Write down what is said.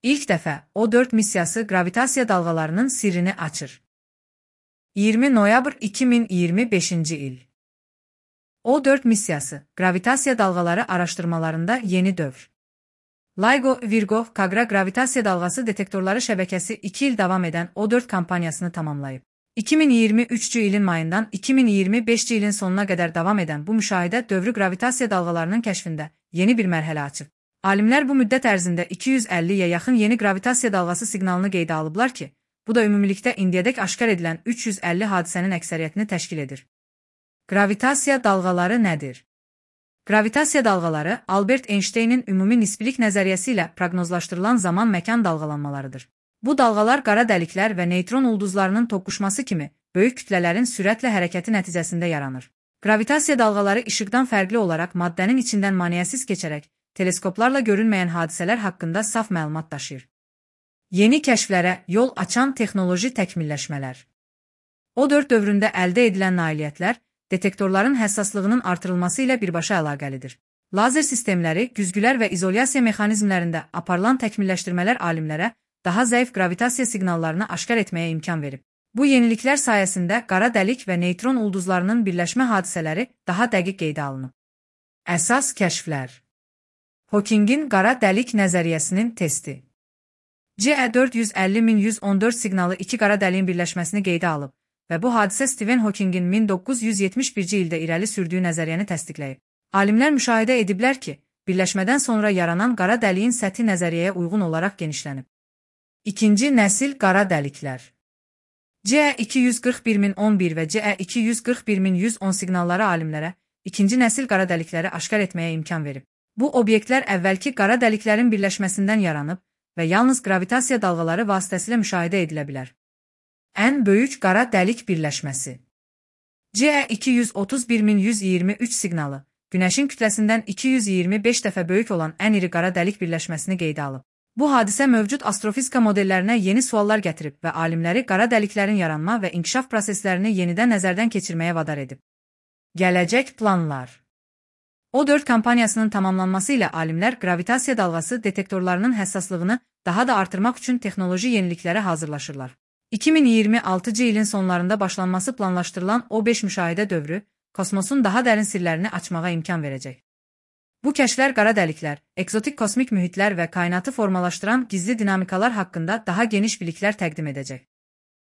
İlk dəfə O4 missiyası qravitasiya dalğalarının sirrini açır. 20 noyabr 2025 il. O4 missiyası qravitasiya dalğaları araşdırmalarında yeni dövr. LIGO Virgo Kagra qravitasiya dalğası detektorları şəbəkəsi 2 il davam edən O4 kampaniyasını tamamlayıb. 2023 ilin mayından 2025 ilin sonuna qədər davam edən bu müşahidə dövrü qravitasiya dalğalarının kəşfində yeni bir mərhələ açıb. Alimlər bu müddət ərzində 250-yə yaxın yeni qravitasiya dalğası siqnalını qeydə alıblar ki, bu da ümumilikdə indiyədək aşkar edilən 350 hadisənin əksəriyyətini təşkil edir. Qravitasiya dalğaları nədir? Qravitasiya dalğaları Albert Einsteynin ümumi nisbilik nəzəriyyəsi ilə proqnozlaşdırılan zaman-məkan dalğalanmalarıdır. Bu dalğalar qara dəliklər və neytron ulduzlarının toqquşması kimi böyük kütlələrin sürətlə hərəkəti nəticəsində yaranır. Qravitasiya dalğaları işıqdan fərqli olaraq maddənin içindən maniyəsiz keçərək teleskoplarla görünməyən hadisələr haqqında saf məlumat daşıyır. Yeni kəşflərə yol açan texnoloji təkmilləşmələr. O4 dövründə əldə edilən nailiyyətlər detektorların həssaslığının artırılması ilə birbaşa əlaqəlidir. Lazer sistemləri, güzgülər və izolyasiya mexanizmlərində aparılan təkmilləşdirmələr alimlərə daha zəif qravitasiya siqnallarını aşkar etməyə imkan verib. Bu yeniliklər sayəsində qara dəlik və neytron ulduzlarının birləşmə hadisələri daha dəqiq qeydə alınıb. Əsas kəşflər. Hokingin qara dəlik nəzəriyyəsinin testi. CE450-1114 siqnalı iki qara dəliyin birləşməsini qeydə alıb və bu hadisə Stephen Hokingin 1971-ci ildə irəli sürdüyü nəzəriyyəni təsdiqləyib. Alimlər müşahidə ediblər ki, birləşmədən sonra yaranan qara dəliyin səthi nəzəriyyəyə uyğun olaraq genişlənib. İkinci nəsil qara dəliklər. CE240011 və CE240110 siqnalları alimlərə ikinci nəsil qara dəlikləri aşkar etməyə imkan verib. Bu obyektlər əvvəlki qara dəliklərin birləşməsindən yaranıb və yalnız qravitasiya dalğaları vasitəsilə müşahidə edilə bilər. Ən böyük qara dəlik birləşməsi. CE231123 siqnalı Günəşin kütləsindən 225 dəfə böyük olan ən iri qara dəlik birləşməsini qeydə alıb. Bu hadisə mövcud astrofizika modellərinə yeni suallar gətirib və alimləri qara dəliklərin yaranma və inkişaf proseslərini yenidən nəzərdən keçirməyə vadar edib. Gələcək planlar. O4 kampaniyasının tamamlanması ilə alimlər qravitasiya dalğası detektorlarının həssaslığını daha da artırmaq üçün texnoloji yeniliklərə hazırlaşırlar. 2026-cı ilin sonlarında başlanması planlaşdırılan O5 müşahidə dövrü kosmosun daha dərin sirlərini açmağa imkan verəcək. Bu kəşflər qara dəliklər, ekzotik kosmik mühitlər və kainatı formalaşdıran gizli dinamikalar haqqında daha geniş biliklər təqdim edəcək.